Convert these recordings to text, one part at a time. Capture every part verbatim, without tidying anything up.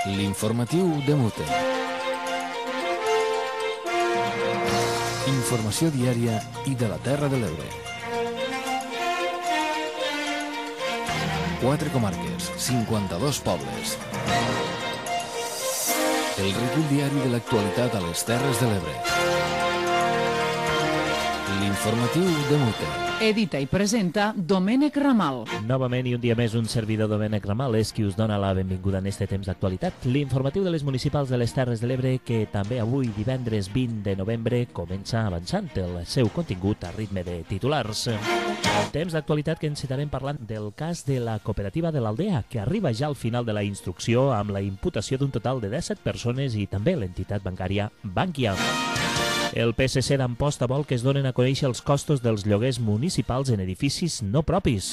L'informatiu de Mute. Informació diària i de la Terra de l'Ebre. Quatre comarques, cinquanta-dos pobles. El recull diari de l'actualitat a les Terres de l'Ebre. L'informatiu de Mute. Edita i presenta Domènec Ramal. Novament i un dia més un servidor Domènec Ramal és qui us dona la benvinguda en este temps d'actualitat. L'informatiu de les municipals de les Terres de l'Ebre que també avui, divendres vint de novembre, comença avançant el seu contingut a ritme de titulars. Temps d'actualitat que ens estarem parlant del cas de la cooperativa de l'Aldea, que arriba ja al final de la instrucció amb la imputació d'un total de disset persones i també l'entitat bancària Bankia. El P S C d'Amposta vol que es donen a conèixer els costos dels lloguers municipals en edificis no propis.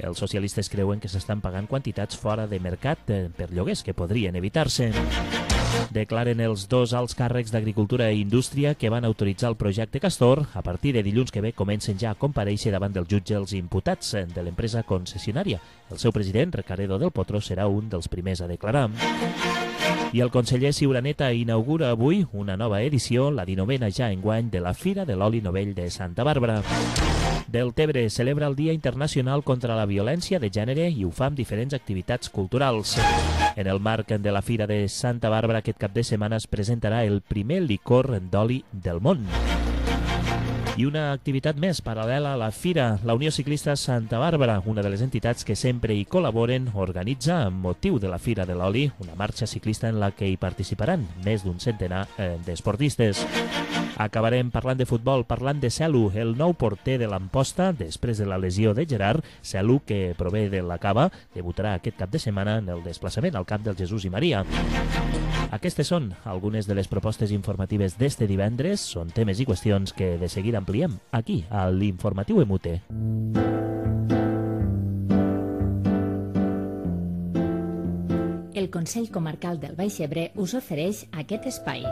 Els socialistes creuen que s'estan pagant quantitats fora de mercat per lloguers que podrien evitar-se. Declaren els dos alts càrrecs d'Agricultura i Indústria que van autoritzar el projecte Castor. A partir de dilluns que ve comencen ja a comparèixer davant del jutge els imputats de l'empresa concessionària. El seu president, Recaredo del Potro, serà un dels primers a declarar. I el conseller Ciuraneta inaugura avui una nova edició, la dinovena ja enguany, de la Fira de l'Oli Novell de Santa Bàrbara. Deltebre celebra el Dia Internacional contra la Violència de Gènere i ho fa amb diferents activitats culturals. En el marc de la Fira de Santa Bàrbara aquest cap de setmana es presentarà el primer licor d'oli del món. I una activitat més paral·lela a la Fira, la Unió Ciclista Santa Bàrbara, una de les entitats que sempre hi col·laboren, organitza amb motiu de la Fira de l'Oli una marxa ciclista en la que hi participaran més d'un centenar eh, d'esportistes. Acabarem parlant de futbol, parlant de Celu, el nou porter de l'Amposta, després de la lesió de Gerard. Celu, que prové de la Cava, debutarà aquest cap de setmana en el desplaçament al camp del Jesús i Maria. Aquestes són algunes de les propostes informatives d'este divendres. Són temes i qüestions que de seguida ampliem aquí, a l'Informatiu Emute. El Consell Comarcal del Baix Ebre us ofereix aquest espai.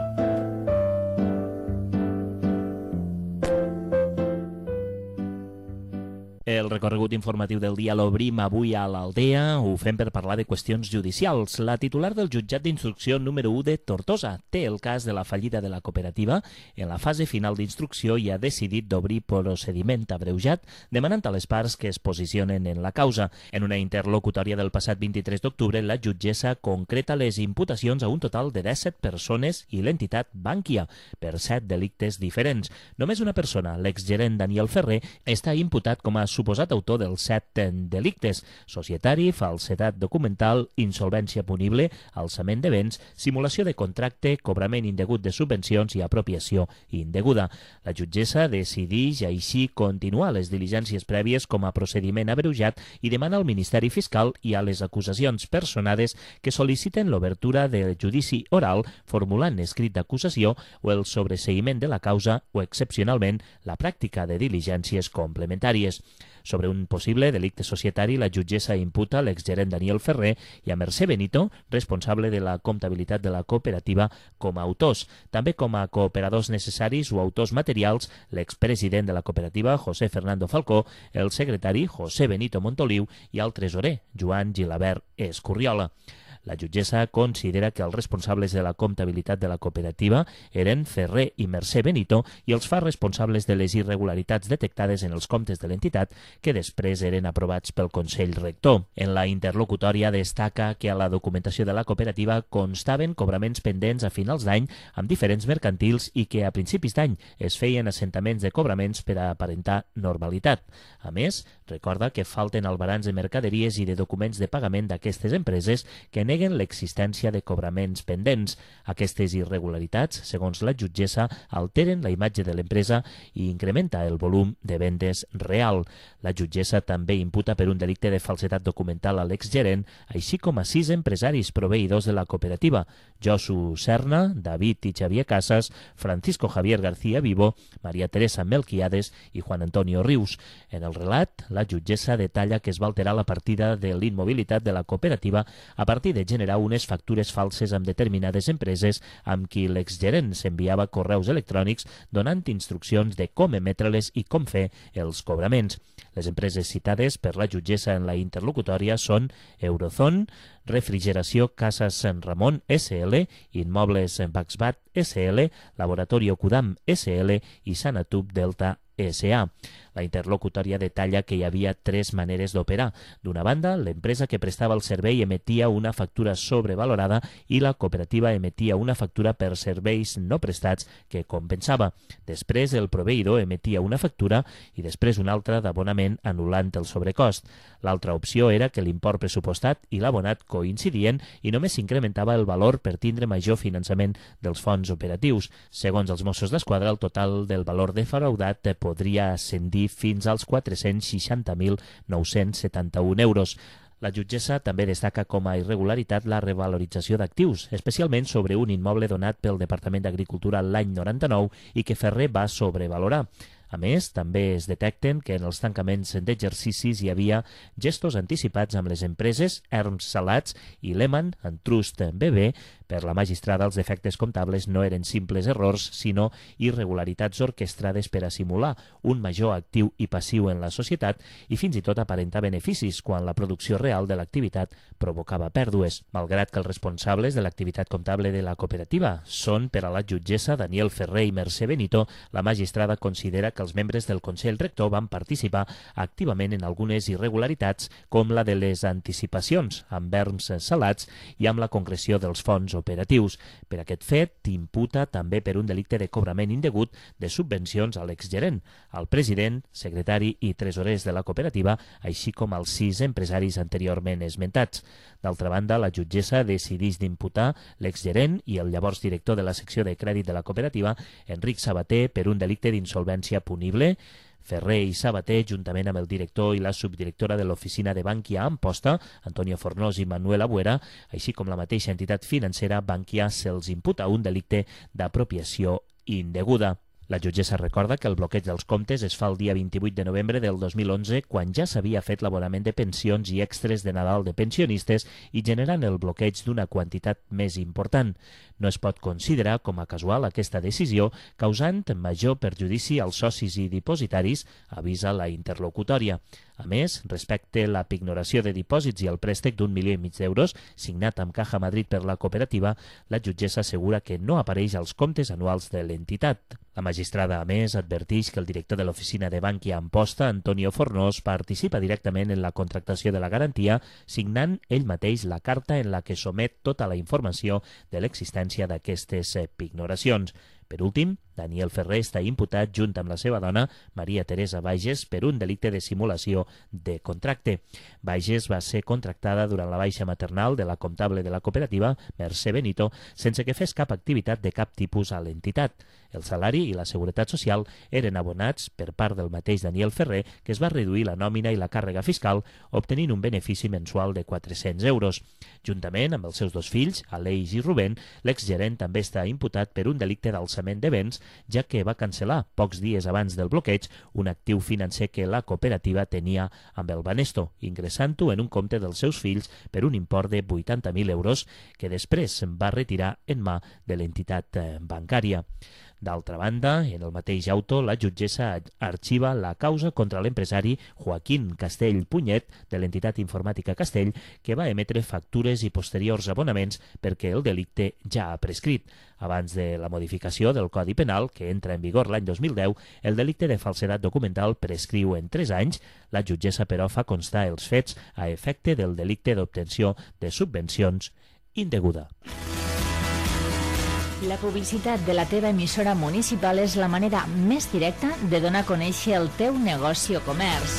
El recorregut informatiu del dia l'obrim avui a l'Aldea. Ho fem per parlar de qüestions judicials. La titular del jutjat d'instrucció número u de Tortosa té el cas de la fallida de la cooperativa en la fase final d'instrucció i ha decidit d'obrir procediment abreujat demanant a les parts que es posicionen en la causa. En una interlocutòria del passat vint-i-tres d'octubre, la jutgessa concreta les imputacions a un total de disset persones i l'entitat Bankia per set delictes diferents. Només una persona, l'exgerent Daniel Ferrer, està imputat com a suposat autor dels set delictes: societari, falsedat documental, insolvència punible, alçament de béns, simulació de contracte, cobrament indegut de subvencions i apropiació indeguda. La jutgessa decideix així continuar les diligències prèvies com a procediment abreujat i demana al Ministeri Fiscal i a les acusacions personades que sol·liciten l'obertura del judici oral formulant escrit d'acusació o el sobreseïment de la causa o, excepcionalment, la pràctica de diligències complementàries. Sobre un possible delicte societari, la jutgessa imputa l'exgerent Daniel Ferrer i a Mercè Benito, responsable de la comptabilitat de la cooperativa, com a autors. També com a cooperadors necessaris o autors materials, l'expresident de la cooperativa, José Fernando Falcó, el secretari, José Benito Montoliu, i el tresorer, Joan Gilabert Escurriola. La jutgessa considera que els responsables de la comptabilitat de la cooperativa eren Ferrer i Mercè Benito i els fa responsables de les irregularitats detectades en els comptes de l'entitat que després eren aprovats pel Consell Rector. En la interlocutòria destaca que a la documentació de la cooperativa constaven cobraments pendents a finals d'any amb diferents mercantils i que a principis d'any es feien assentaments de cobraments per a aparentar normalitat. A més, recorda que falten albarans de mercaderies i de documents de pagament d'aquestes empreses que neguen l'existència de cobraments pendents. Aquestes irregularitats, segons la jutgessa, alteren la imatge de l'empresa i incrementa el volum de vendes real. La jutgessa també imputa per un delicte de falsedat documental a l'exgerent, així com a sis empresaris proveïdors de la cooperativa: Josu Serna, David i Xavier Casas, Francisco Javier García Vivo, María Teresa Melquiades i Juan Antonio Rius. En el relat, la jutgessa detalla que es va alterar la partida de l'immobilitat de la cooperativa a partir de generar unes factures falses amb determinades empreses amb qui l'exgerent s'enviava correus electrònics donant instruccions de com emetre-les i com fer els cobraments. Les empreses citades per la jutgessa en la interlocutòria són Eurozone, Refrigeració Casa Sant Ramon S L, Immobles Baxbat S L, Laboratorio Cudam S L i Sanatub Delta S A. La interlocutòria detalla que hi havia tres maneres d'operar. D'una banda, l'empresa que prestava el servei emetia una factura sobrevalorada i la cooperativa emetia una factura per serveis no prestats que compensava. Després, el proveïdor emetia una factura i després una altra d'abonament anul·lant el sobrecost. L'altra opció era que l'import pressupostat i l'abonat coincidien i només s'incrementava el valor per tindre major finançament dels fons operatius. Segons els Mossos d'Esquadra, el total del valor defraudat podria ascendir fins als quatre-cents seixanta mil nou-cents setanta-un euros. La jutgessa també destaca com a irregularitat la revalorització d'actius, especialment sobre un immoble donat pel Departament d'Agricultura l'any noranta-nou i que Ferrer va sobrevalorar. A més, també es detecten que en els tancaments d'exercicis hi havia gestos anticipats amb les empreses Erms Salats i Lehmann en Trust B B. Per la magistrada, els defectes comptables no eren simples errors, sinó irregularitats orquestrades per a simular un major actiu i passiu en la societat i fins i tot aparentar beneficis quan la producció real de l'activitat provocava pèrdues. Malgrat que els responsables de l'activitat comptable de la cooperativa són, per a la jutgessa Daniel Ferrer i Mercè Benito, la magistrada considera que els membres del Consell Rector van participar activament en algunes irregularitats, com la de les anticipacions amb Erms Salats i amb la concreció dels fons operatius. Per aquest fet, imputa també per un delicte de cobrament indegut de subvencions a l'exgerent, al president, secretari i tresorers de la cooperativa, així com als sis empresaris anteriorment esmentats. D'altra banda, la jutgessa decideix d'imputar l'exgerent i el llavors director de la secció de crèdit de la cooperativa, Enric Sabater, per un delicte d'insolvència punible. Ferrer i Sabater, juntament amb el director i la subdirectora de l'oficina de Bankia a Amposta, Antonio Fornós i Manuel Abuera, així com la mateixa entitat financera, Bankia, se'ls imputa un delicte d'apropiació indeguda. La jutgessa recorda que el bloqueig dels comptes es fa el dia vint-i-vuit de novembre del dos mil onze, quan ja s'havia fet l'abonament de pensions i extres de Nadal de pensionistes i generant el bloqueig d'una quantitat més important. No es pot considerar com a casual aquesta decisió, causant major perjudici als socis i dipositaris, avisa la interlocutòria. A més, respecte la pignoració de dipòsits i el préstec d'un milió i mig d'euros, signat amb Caja Madrid per la cooperativa, la jutgessa assegura que no apareix als comptes anuals de l'entitat. La magistrada, a més, adverteix que el director de l'oficina de Bankia Amposta, Antonio Fornós, participa directament en la contractació de la garantia, signant ell mateix la carta en la que somet tota la informació de l'existència d'aquestes pignoracions. Per últim, Daniel Ferrer està imputat junt amb la seva dona, Maria Teresa Bages, per un delicte de simulació de contracte. Bages va ser contractada durant la baixa maternal de la comptable de la cooperativa, Mercè Benito, sense que fes cap activitat de cap tipus a l'entitat. El salari i la seguretat social eren abonats per part del mateix Daniel Ferrer, que es va reduir la nòmina i la càrrega fiscal, obtenint un benefici mensual de quatre-cents euros. Juntament amb els seus dos fills, Aleix i Rubén, l'exgerent també està imputat per un delicte d'alçament de béns, ja que va cancel·lar, pocs dies abans del bloqueig, un actiu financer que la cooperativa tenia amb el Banesto, ingressant-ho en un compte dels seus fills per un import de vuitanta mil euros, que després va retirar en mà de l'entitat bancària. D'altra banda, en el mateix auto, la jutgessa arxiva la causa contra l'empresari Joaquín Castell Punyet, de l'entitat informàtica Castell, que va emetre factures i posteriors abonaments perquè el delicte ja ha prescrit. Abans de la modificació del Codi Penal, que entra en vigor l'any dos mil deu, el delicte de falsedat documental prescriu en tres anys. La jutgessa, però, fa constar els fets a efecte del delicte d'obtenció de subvencions indeguda. La publicitat de la teva emissora municipal és la manera més directa de donar a conèixer el teu negoci o comerç.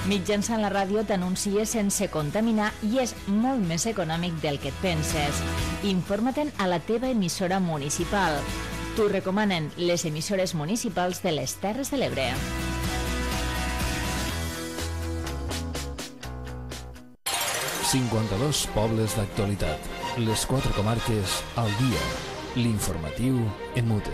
Mitjançant la ràdio t'anuncies sense contaminar i és molt més econòmic del que et penses. Informa-te'n a la teva emissora municipal. T'ho recomanen les emissores municipals de les Terres de l'Ebre. cinquanta-dos pobles d'actualitat. Les quatre comarques al dia. L'informatiu en mute.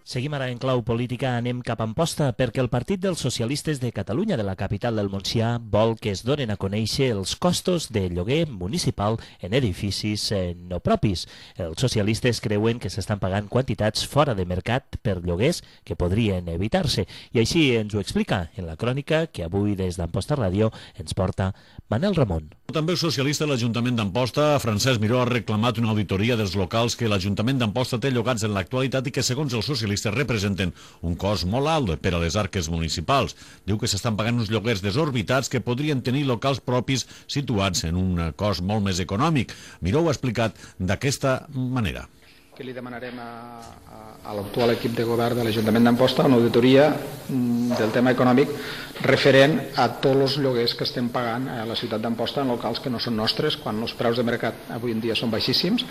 Seguim ara en clau política, anem cap a Amposta, perquè el Partit dels Socialistes de Catalunya de la capital del Montsià vol que es donen a conèixer els costos de lloguer municipal en edificis eh, no propis. Els socialistes creuen que s'estan pagant quantitats fora de mercat per lloguers que podrien evitar-se. I així ens ho explica en la crònica que avui des d'Amposta Ràdio ens porta Manel Ramon. També el socialista de l'Ajuntament d'Amposta, Francesc Miró, ha reclamat una auditoria dels locals que l'Ajuntament d'Amposta té llogats en l'actualitat i que, segons els socialistes, representen un cost molt alt per a les arques municipals. Diu que s'estan pagant uns lloguers desorbitats que podrien tenir locals propis situats en un cost molt més econòmic. Miró ho ha explicat d'aquesta manera. Que li demanarem a, a, a l'actual equip de govern de l'Ajuntament d'Amposta una auditoria del tema econòmic referent a tots els lloguers que estem pagant a la ciutat d'Amposta en locals que no són nostres, quan els preus de mercat avui en dia són baixíssims,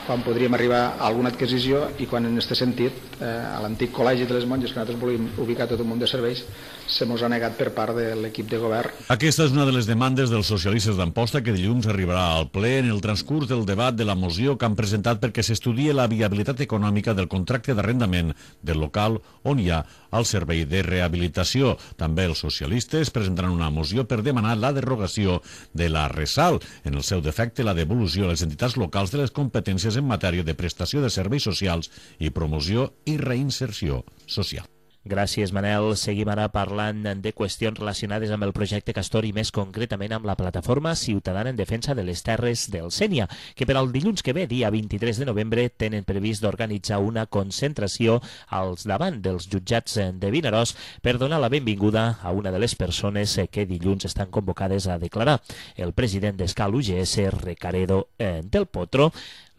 quan podríem arribar a alguna adquisició i quan en aquest sentit eh, a l'antic col·legi de les monges que nosaltres volíem ubicar tot un munt de serveis se mos ha negat per part de l'equip de govern. Aquesta és una de les demandes dels socialistes d'Amposta que dilluns arribarà al ple en el transcurs del debat de la moció que han presentat perquè s'estudie la viabilitat econòmica del contracte d'arrendament del local on hi ha el servei de rehabilitació. També els socialistes presentaran una moció per demanar la derogació de la RESAL, en el seu defecte la devolució a les entitats locals de les competències en matèria de prestació de serveis socials i promoció i reinserció social. Gràcies, Manel. Seguim ara parlant de qüestions relacionades amb el projecte Castor i més concretament amb la plataforma ciutadana en defensa de les terres del Sénia, que per al dilluns que ve, dia vint-i-tres de novembre, tenen previst d'organitzar una concentració als davant dels jutjats de Vinaròs per donar la benvinguda a una de les persones que dilluns estan convocades a declarar. El president d'Escal U G S, Recaredo eh, del Potro.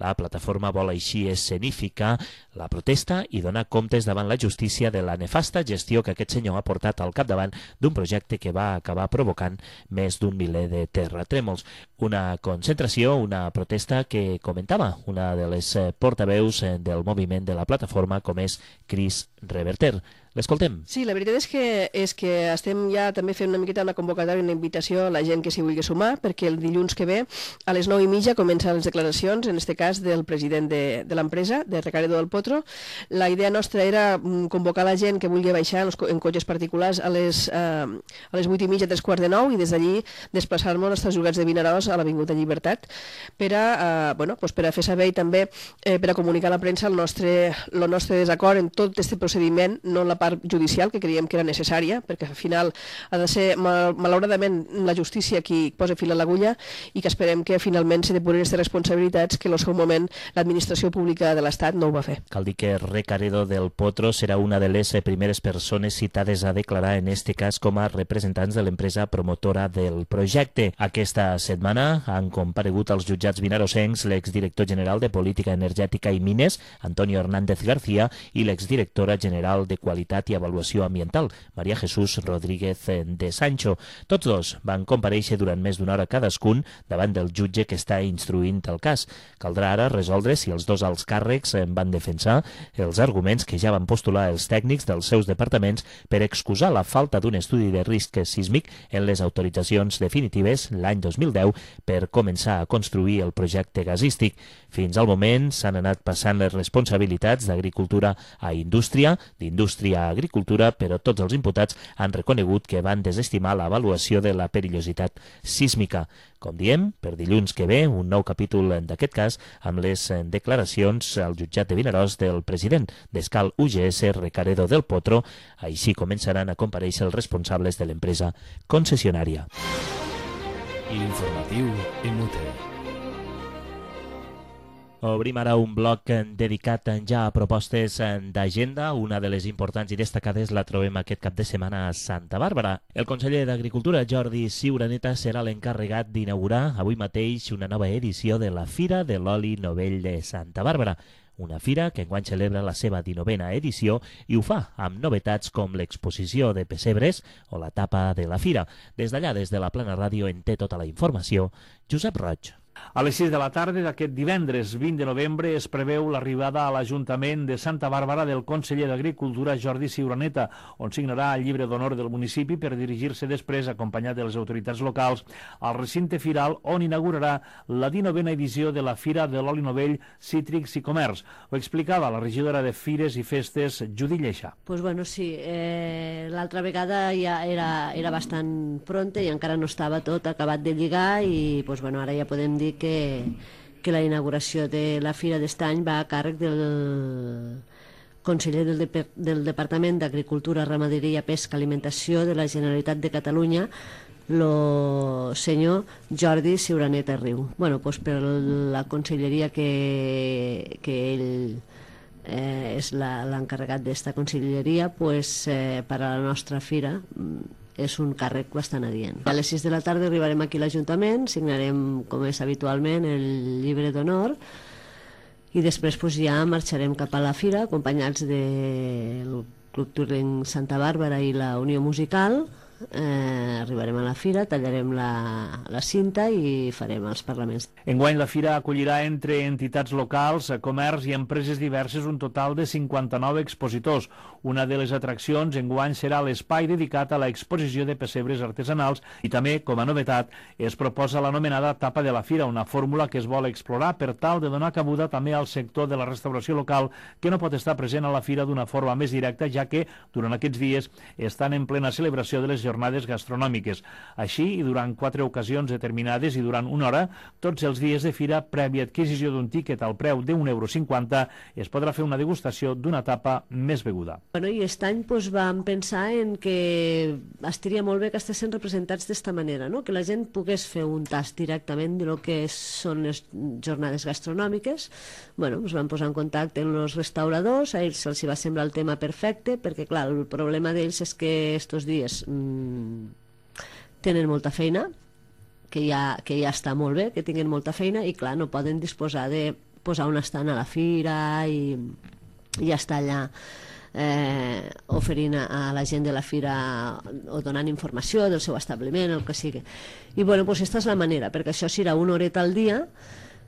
La plataforma vol així escenificar la protesta i donar comptes davant la justícia de la nefasta gestió que aquest senyor ha portat al capdavant d'un projecte que va acabar provocant més d'un miler de terratrèmols. Una concentració, una protesta que comentava una de les portaveus del moviment de la plataforma, com és Cris Reverter. L'escoltem. Sí, la veritat és que, és que estem ja també fent una miqueta una convocatòria, una invitació a la gent que s'hi vulgui sumar, perquè el dilluns que ve, a les nou i mitja, comencen les declaracions, en aquest cas del president de, de l'empresa, de Recaredo del Potro. La idea nostra era convocar la gent que vulgui baixar en, en cotxes particulars a les, eh, a les vuit i mitja, tres quarts de nou, i des d'allí desplaçar-nos als jugats de Vinaròs a l'Avinguda Llibertat per a, eh, bueno, pues per a fer saber i també eh, per a comunicar a la premsa el nostre, el nostre desacord en tot aquest procediment, no en la part judicial, que creiem que era necessària, perquè al final ha de ser, mal, malauradament, la justícia qui posa fil a l'agulla i que esperem que finalment se depuren aquestes responsabilitats que en el seu moment l'administració pública de l'Estat no ho va fer. Cal dir que Recaredo del Potro serà una de les primeres persones citades a declarar, en este cas com a representants de l'empresa promotora del projecte. Aquesta setmana han comparegut als jutjats vinarossencs l'exdirector general de Política Energètica i Mines, Antonio Hernández García, i l'exdirectora general de Qualitat i Avaluació Ambiental, María Jesús Rodríguez de Sancho. Tots dos van comparèixer durant més d'una hora cadascun davant del jutge que està instruint el cas. Caldrà ara resoldre si els dos alts càrrecs van defensar els arguments que ja van postular els tècnics dels seus departaments per excusar la falta d'un estudi de risc sísmic en les autoritzacions definitives l'any dos mil deu per començar a construir el projecte gasístic. Fins al moment s'han anat passant les responsabilitats d'agricultura a indústria, d'indústria a agricultura, però tots els imputats han reconegut que van desestimar l'avaluació de la perillositat sísmica. Com diem, per dilluns que ve, un nou capítol d'aquest cas amb les declaracions al jutjat de Vinaròs del president d'Escal U G S, Recaredo del Potro. Així començaran a comparèixer els responsables de l'empresa concessionària. L'informatiu Emute. Obrim ara un bloc dedicat ja a propostes d'agenda. Una de les importants i destacades la trobem aquest cap de setmana a Santa Bàrbara. El conseller d'Agricultura, Jordi Ciuraneta, serà l'encarregat d'inaugurar avui mateix una nova edició de la Fira de l'Oli Novell de Santa Bàrbara. Una fira que enguany celebra la seva dinovena edició i ho fa amb novetats com l'exposició de pessebres o la tapa de la fira. Des d'allà, des de la Plana Ràdio, en té tota la informació Josep Roig. A les sis de la tarda d'aquest divendres vint de novembre es preveu l'arribada a l'Ajuntament de Santa Bàrbara del conseller d'Agricultura Jordi Ciuraneta, on signarà el llibre d'honor del municipi per dirigir-se després, acompanyat de les autoritats locals, al recinte firal on inaugurarà la dinovena edició de la Fira de l'Oli Novell, Cítrics i Comerç. Ho explicava la regidora de Fires i Festes, Judit Lleixa. Pues bueno, sí, eh, l'altra vegada ja era, era bastant pronta i encara no estava tot acabat de lligar i pues bueno, ara ja podem dir que Que, que la inauguració de la Fira d'estany va a càrrec del conseller del, de, del Departament d'Agricultura, Ramaderia, Pesca, Alimentació de la Generalitat de Catalunya, el senyor Jordi Ciuraneta Riu. Bueno, pues per la conselleria que, que ell eh, és l'encarregat d'esta conselleria, pues, eh, per a la nostra fira és un càrrec bastant adient. A les sis de la tarda arribarem aquí a l'Ajuntament, signarem, com és habitualment, el llibre d'honor i després pues, ja marxarem cap a la fira acompanyats del Club Touring Santa Bàrbara i la Unió Musical. Eh, arribarem a la fira, tallarem la, la cinta i farem els parlaments. Enguany la fira acollirà entre entitats locals, comerç i empreses diverses un total de cinquanta-nou expositors. Una de les atraccions enguany serà l'espai dedicat a l'exposició de pessebres artesanals i també, com a novetat, es proposa l'anomenada tapa de la fira, una fórmula que es vol explorar per tal de donar cabuda també al sector de la restauració local que no pot estar present a la fira d'una forma més directa, ja que durant aquests dies estan en plena celebració de les jornades gastronòmiques. Així, i durant quatre ocasions determinades i durant una hora, tots els dies de fira, prèvia adquisició d'un tíquet al preu d'un euro cinquanta, es podrà fer una degustació d'una tapa més beguda. Bueno, i aquest any pues, vam pensar en que estaria molt bé que estessin representats d'esta manera, no? Que la gent pogués fer un tast directament de lo que són les jornades gastronòmiques. Bueno, ens vam posar en contacte amb els restauradors, a ells se'ls va semblar el tema perfecte, perquè clar, el problema d'ells és que estos dies mmm, tenen molta feina, que ja, que ja està molt bé, que tinguin molta feina i clar, no poden disposar de posar un estant a la fira i, i ja està allà eh, oferint a la gent de la fira o donant informació del seu establiment, el que sigui. I bueno, doncs aquesta és la manera, perquè això serà una horeta al dia.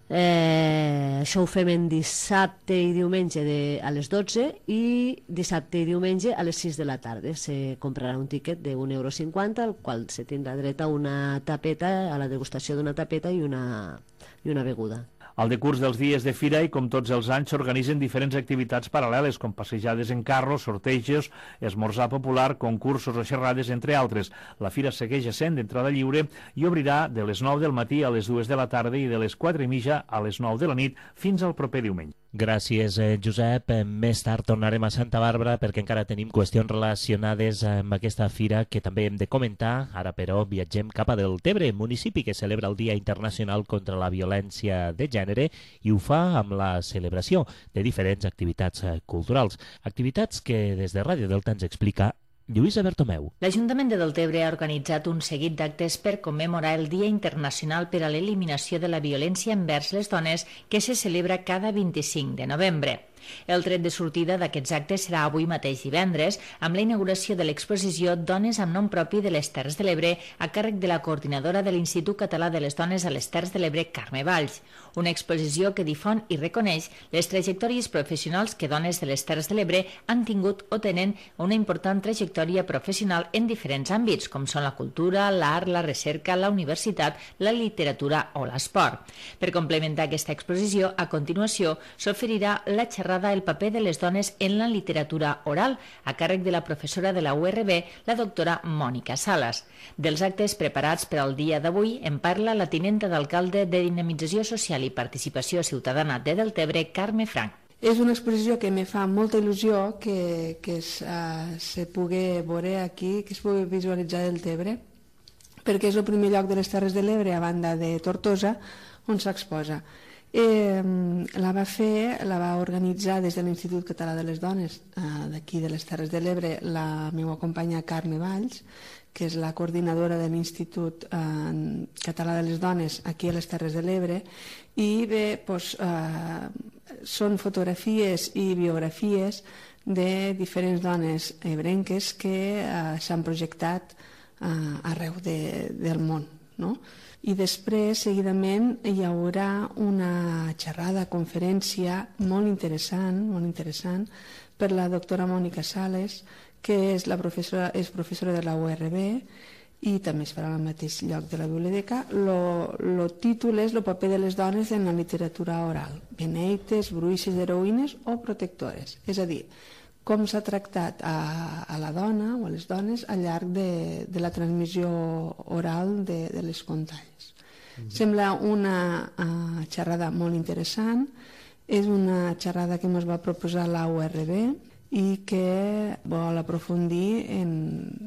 Eh, això ho fem en dissabte i diumenge de, a les dotze i dissabte i diumenge a les sis de la tarda. Se comprarà un tíquet d'un euro cinquanta, al qual se tindrà dret a una tapeta, a la degustació d'una tapeta i una, i una beguda. Al decurs dels dies de fira i com tots els anys s'organitzen diferents activitats paral·leles com passejades en carro, sortejos, esmorzar popular, concursos o xerrades, entre altres. La fira segueix essent d'entrada lliure i obrirà de les nou del matí a les dues de la tarda i de les quatre i mitja a les nou de la nit fins al proper diumenge. Gràcies, Josep. Més tard tornarem a Santa Bàrbara perquè encara tenim qüestions relacionades amb aquesta fira que també hem de comentar. Ara, però, viatgem cap a Deltebre, municipi que celebra el Dia Internacional contra la Violència de Gènere i ho fa amb la celebració de diferents activitats culturals. Activitats que des de Ràdio Delta ens explica Lluïsa Bertomeu. L'Ajuntament de Deltebre ha organitzat un seguit d'actes per commemorar el Dia Internacional per a l'Eliminació de la Violència envers les Dones que se celebra cada vint-i-cinc de novembre. El tret de sortida d'aquests actes serà avui mateix divendres amb la inauguració de l'exposició Dones amb nom propi de les Terres de l'Ebre a càrrec de la coordinadora de l'Institut Català de les Dones a les Terres de l'Ebre, Carme Valls. Una exposició que difon i reconeix les trajectòries professionals que dones de les Terres de l'Ebre han tingut o tenen una important trajectòria professional en diferents àmbits, com són la cultura, l'art, la recerca, la universitat, la literatura o l'esport. Per complementar aquesta exposició, a continuació s'oferirà la xerrada El paper de les dones en la literatura oral, a càrrec de la professora de la U R B, la doctora Mònica Salas. Dels actes preparats per al dia d'avui en parla la tinenta d'alcalde de Dinamització Social i Participació Ciutadana de Deltebre, Carme Frank. És una exposició que me fa molta il·lusió que, que es, uh, se pugui veure aquí, que es pugui visualitzar Deltebre, perquè és el primer lloc de les Terres de l'Ebre, a banda de Tortosa, on s'exposa. Eh, la va fer, la va organitzar des de l'Institut Català de les Dones eh, d'aquí de les Terres de l'Ebre la meva companya Carme Valls, que és la coordinadora de l'Institut eh, Català de les Dones aquí a les Terres de l'Ebre, i bé, doncs, eh, són fotografies i biografies de diferents dones ebrenques que eh, s'han projectat eh, arreu de, del món. no? I després, seguidament, hi haurà una xerrada, conferència molt interessant, molt interessant per la doctora Mònica Sales, que és, la professora, és professora de la U R B i també es farà al mateix lloc de la biblioteca. El títol és El paper de les dones en la literatura oral, beneites, bruixes, heroïnes o protectores. És a dir, com s'ha tractat a, a la dona o a les dones al llarg de, de la transmissió oral de, de les contalles. Mm-hmm. Sembla una uh, xerrada molt interessant, és una xerrada que ens va proposar la U R B i que vol aprofundir en,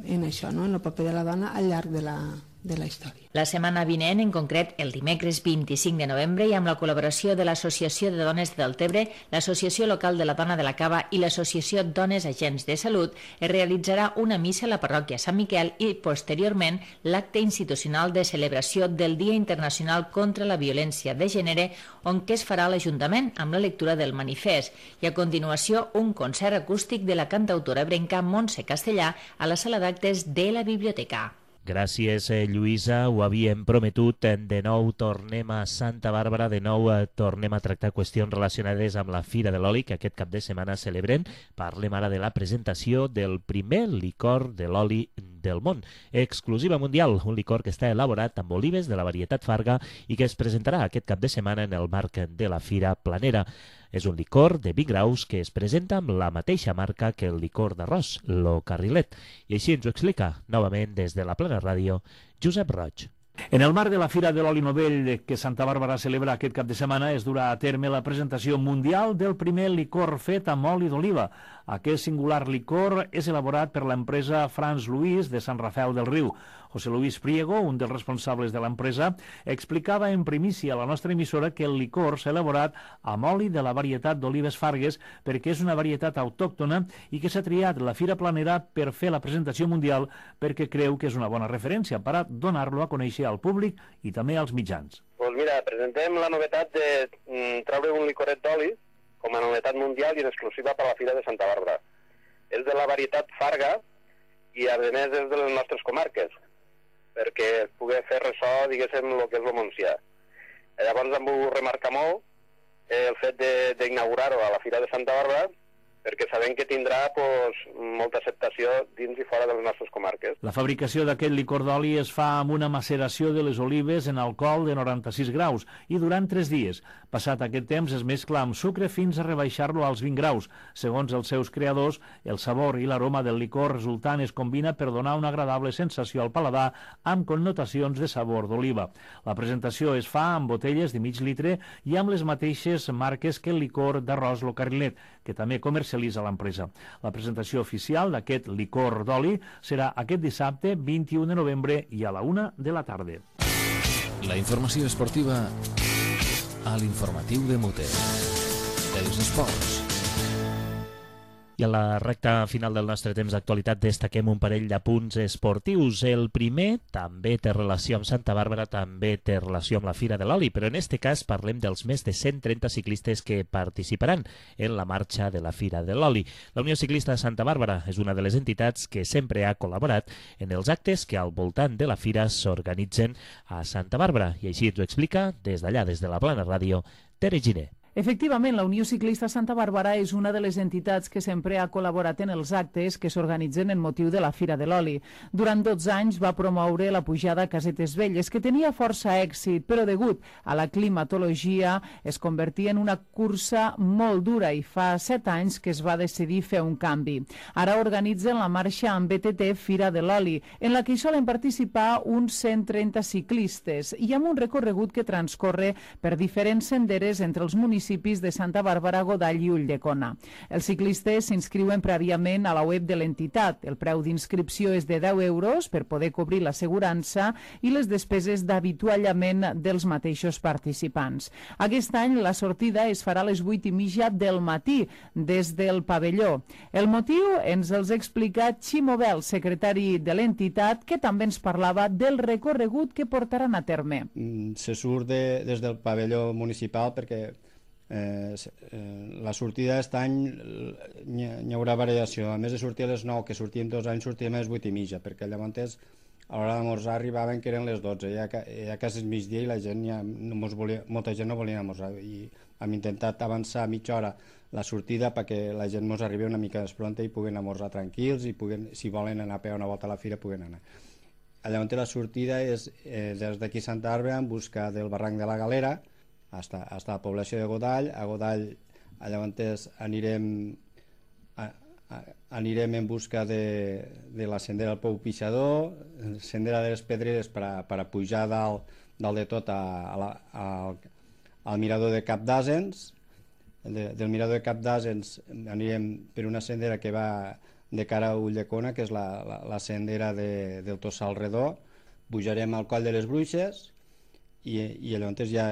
en això, no? En el paper de la dona al llarg de la, de la història. La setmana vinent, en concret el dimecres vint-i-cinc de novembre, i amb la col·laboració de l'Associació de Dones de Deltebre, l'Associació Local de la Dona de la Cava i l'Associació Dones Agents de Salut, es realitzarà una missa a la parròquia Sant Miquel i, posteriorment, l'acte institucional de celebració del Dia Internacional contra la Violència de Gènere, on que es farà a l'Ajuntament amb la lectura del manifest, i a continuació un concert acústic de la cantautora ebrenca Montse Castellà a la sala d'actes de la biblioteca. Gràcies, eh, Lluïsa. Ho havíem prometut. De nou tornem a Santa Bàrbara, de nou eh, tornem a tractar qüestions relacionades amb la Fira de l'Oli, que aquest cap de setmana celebrem. Parlem ara de la presentació del primer licor de l'oli del món. Exclusiva mundial, un licor que està elaborat amb olives de la varietat Farga i que es presentarà aquest cap de setmana en el marc de la Fira Planera. És un licor de vint graus que es presenta amb la mateixa marca que el licor d'arròs, lo Carrilet. I així ens ho explica, novament des de la Plana Ràdio, Josep Roig. En el marc de la Fira de l'Oli Novell que Santa Bàrbara celebra aquest cap de setmana es durà a terme la presentació mundial del primer licor fet amb oli d'oliva. Aquest singular licor és elaborat per l'empresa Franz Louis de Sant Rafel del Riu. José Luis Priego, un dels responsables de l'empresa, explicava en primícia a la nostra emissora que el licor s'ha elaborat amb oli de la varietat d'olives Fargues perquè és una varietat autòctona i que s'ha triat la Fira Planera per fer la presentació mundial perquè creu que és una bona referència per a donar-lo a conèixer al públic i també als mitjans. Pues mira, presentem la novetat de mm, treure un licoret d'oli com a novetat mundial i en exclusiva per a la Fira de Santa Bàrbara. És de la varietat Farga i a més és de les nostres comarques, perquè es pugui fer ressò, diguéssim, el que és el Montsià. Llavors em vull remarcar molt el fet d'inaugurar-ho a la Fira de Santa Bàrbara, perquè sabem que tindrà pues, molta acceptació dins i fora de les nostres comarques. La fabricació d'aquest licor d'oli es fa amb una maceració de les olives en alcohol de noranta-sis graus i durant tres dies. Passat aquest temps es mescla amb sucre fins a rebaixar-lo als vint graus. Segons els seus creadors, el sabor i l'aroma del licor resultant es combina per donar una agradable sensació al paladar amb connotacions de sabor d'oliva. La presentació es fa amb botelles de mig litre i amb les mateixes marques que el licor d'arròs Lo Carrilet, que també comercialitza l'empresa. La presentació oficial d'aquest licor d'oli serà aquest dissabte vint-i-u de novembre i a la una de la tarda. La informació esportiva a l'informatiu de Mute. Els esports. I a la recta final del nostre temps d'actualitat destaquem un parell d'apunts esportius. El primer també té relació amb Santa Bàrbara, també té relació amb la Fira de l'Oli, però en aquest cas parlem dels més de cent trenta ciclistes que participaran en la marxa de la Fira de l'Oli. La Unió Ciclista de Santa Bàrbara és una de les entitats que sempre ha col·laborat en els actes que al voltant de la Fira s'organitzen a Santa Bàrbara, i així ens ho explica des d'allà, des de la Plana Ràdio, Tere Giner. Efectivament, la Unió Ciclista Santa Bàrbara és una de les entitats que sempre ha col·laborat en els actes que s'organitzen en motiu de la Fira de l'Oli. Durant dotze anys va promoure la pujada a Casetes Velles, que tenia força èxit, però degut a la climatologia es convertia en una cursa molt dura i fa set anys que es va decidir fer un canvi. Ara organitzen la marxa amb B T T Fira de l'Oli, en la que hi solen participar uns cent trenta ciclistes i amb un recorregut que transcorre per diferents senderes entre els municipis de Santa Bàrbara, Godall i Ulldecona. Els ciclistes s'inscriuen prèviament a la web de l'entitat. El preu d'inscripció és de deu euros per poder cobrir l'assegurança i les despeses d'avituallament dels mateixos participants. Aquest any la sortida es farà a les vuit i mitja del matí des del pavelló. El motiu ens els explica Ximo Bel, secretari de l'entitat, que també ens parlava del recorregut que portaran a terme. Se surt de, des del pavelló municipal perquè Eh, la sortida d'aquest any hi haurà variació. A més de sortir a les nou, que sortíem dos anys, sortíem a les vuit i mitja, perquè llavors a l'hora d'amorçar arribaven que eren les dotze, ja, ja quasi és migdia i la gent ja no mos volia, molta gent no volia amorçar, i hem intentat avançar mitja hora la sortida perquè la gent mos arribi una mica més pronta i puguen amorçar tranquils i puguen, si volen anar a pegar una volta a la fira puguen anar. Llavors la sortida és eh, des d'aquí Santa Bàrbara en busca del barranc de la Galera fins a la població de Godall. A Godall llavors anirem a, a, anirem en busca de, de la sendera del Pou Pixador, sendera de les Pedreres per a, per a pujar dalt, dalt de tot a, a la, a, al mirador de Cap d'Asens. De, del mirador de Cap d'Asens anirem per una sendera que va de cara a Ulldecona, que és la, la, la sendera de, del Tossal Redó. Pujarem al Coll de les Bruixes i, i llavors ja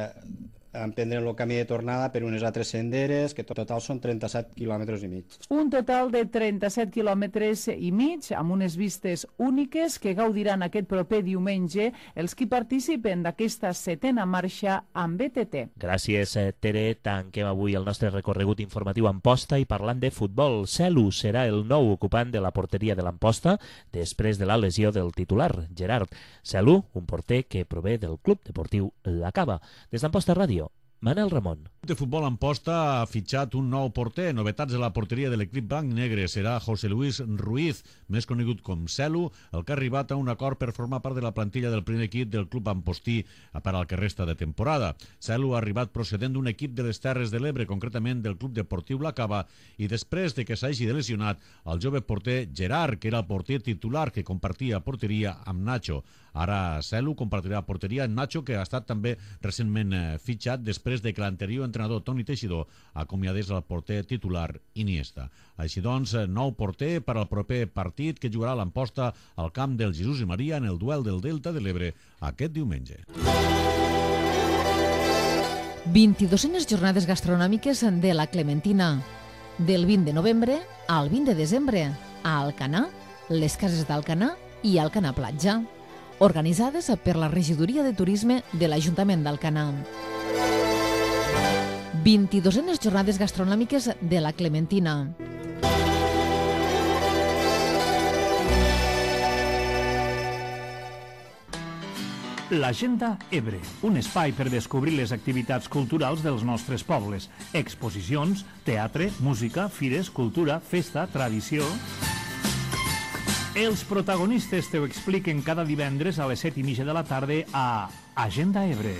emprendrem el camí de tornada per unes altres senderes, que total són trenta-set quilòmetres i mig. Un total de trenta-set quilòmetres i mig, amb unes vistes úniques que gaudiran aquest proper diumenge els qui participen d'aquesta setena marxa amb B T T. Gràcies, Tere. Tanquem avui el nostre recorregut informatiu a Amposta i parlant de futbol. Celu serà el nou ocupant de la porteria de l'Amposta després de la lesió del titular, Gerard. Celu, un porter que prové del Club Deportiu La Cava. Des d'Amposta Ràdio, Manel Ramon. De futbol Amposta ha fitxat un nou porter. Novetats de la porteria de l'equip blanc-negre serà José Luis Ruiz, més conegut com Celu, el que ha arribat a un acord per formar part de la plantilla del primer equip del club ampostí per al que resta de temporada. Celu ha arribat procedent d'un equip de les Terres de l'Ebre, concretament del Club Deportiu La Cava, i després de que s'hagi lesionat el jove porter Gerard, que era el porter titular que compartia porteria amb Nacho. Ara Celu compartirà porteria amb Nacho, que ha estat també recentment fitxat després de que l'anterior entrenador Toni Teixidor acomiadés el porter titular Iniesta. Així doncs, nou porter per al proper partit que jugarà l'Amposta al camp del Jesús i Maria en el duel del Delta de l'Ebre aquest diumenge. vint-i-duenes jornades gastronòmiques de la Clementina. Del vint de novembre al vint de desembre a Alcanar, les cases d'Alcanar i Alcanar Platja, organitzades per la Regidoria de Turisme de l'Ajuntament d'Alcanar. vint-i-duenes jornades gastronòmiques de la Clementina. L'Agenda Ebre, un espai per descobrir les activitats culturals dels nostres pobles. Exposicions, teatre, música, fires, cultura, festa, tradició... Els protagonistes te ho expliquen cada divendres a les set i mitja de la tarda a Agenda Ebre.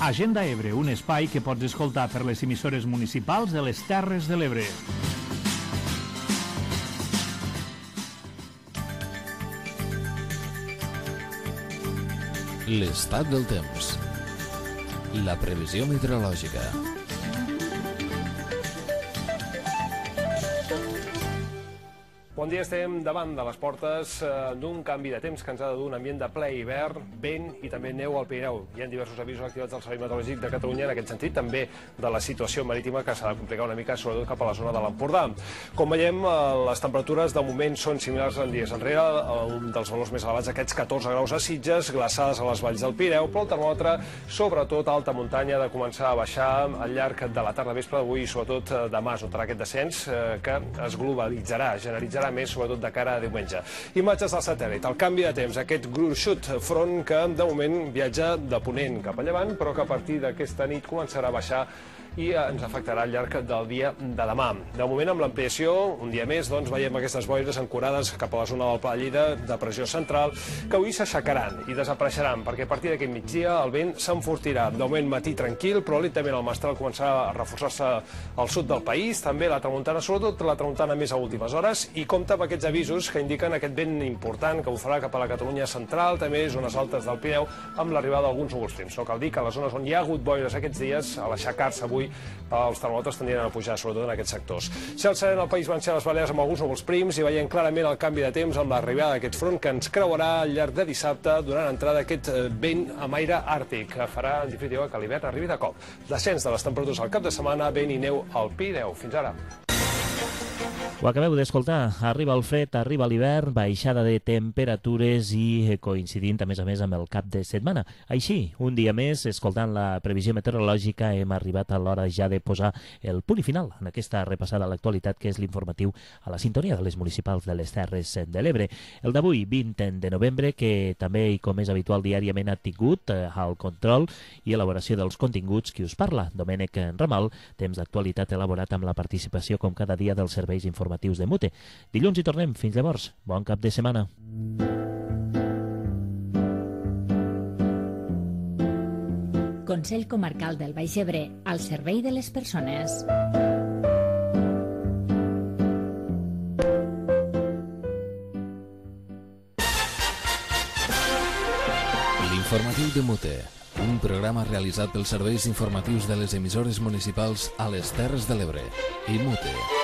Agenda Ebre, un espai que pots escoltar per les emissores municipals de les Terres de l'Ebre. L'estat del temps. La previsió meteorològica. Bon dia, estem davant de les portes d'un canvi de temps que ens ha de dur un ambient de ple hivern, vent i també neu al Pirineu. Hi ha diversos avisos activats del Servei Meteorològic de Catalunya en aquest sentit, també de la situació marítima que s'ha de complicar una mica, sobretot cap a la zona de l'Empordà. Com veiem, les temperatures de moment són similars en dies enrere, un dels valors més elevats, aquests catorze graus a Sitges, glaçades a les valls del Pirineu, però el termòmetre, sobretot a alta muntanya, ha de començar a baixar al llarg de la tarda vespre d'avui i sobretot demà es notarà aquest descens que es globalitzarà, generalitzarà més, sobretot de cara a diumenge. Imatges del satèl·lit. El canvi de temps, aquest gruixut front que de moment viatja de ponent cap a llevant, però que a partir d'aquesta nit començarà a baixar i ens afectarà al llarg del dia de demà. De moment, amb l'ampliació, un dia més, doncs, veiem aquestes boires ancorades cap a la zona del Pla de Lleida, de pressió central, que avui s'aixecaran i desapareixeran, perquè a partir d'aquest migdia el vent s'enfortirà. De moment, matí tranquil, però lentament el mestral començarà a reforçar-se al sud del país, també la tramuntana, sobretot la tramuntana més a últimes hores, i compta amb aquests avisos que indiquen aquest vent important que bufarà cap a la Catalunya central, també zones altes del Pirineu, amb l'arribada d'alguns núvols prims. No cal dir que a les zones on hi ha hagut boires aquests dies, a l'aixecar-se avui, els termòmetres tendien a pujar, sobretot en aquests sectors. Cel serè en el País Valencià, les Balears, amb alguns núvols prims, i veiem clarament el canvi de temps amb l'arribada d'aquest front que ens creuarà al llarg de dissabte, donant entrada aquest vent amb aire àrtic, que farà, en definitiva, que l'hivern arribi de cop. Descens de les temperatures al cap de setmana, vent i neu al Pirineu. Fins ara. Ho acabeu d'escoltar, arriba el fred, arriba l'hivern, baixada de temperatures i coincidint a més a més amb el cap de setmana. Així, un dia més, escoltant la previsió meteorològica, hem arribat a l'hora ja de posar el punt i final en aquesta repassada a l'actualitat que és l'informatiu a la sintonia de les municipals de les Terres de l'Ebre. El d'avui, vint de novembre, que també i com és habitual diàriament ha tingut el control i elaboració dels continguts qui us parla, Domènec Ramal, temps d'actualitat elaborat amb la participació com cada dia dels serveis informatius de Mute. Dilluns hi tornem. Fins llavors. Bon cap de setmana. Consell Comarcal del Baix Ebre, al servei de les persones. L'informatiu de Mute, un programa realitzat pels serveis informatius de les emissores municipals a les Terres de l'Ebre i Mute.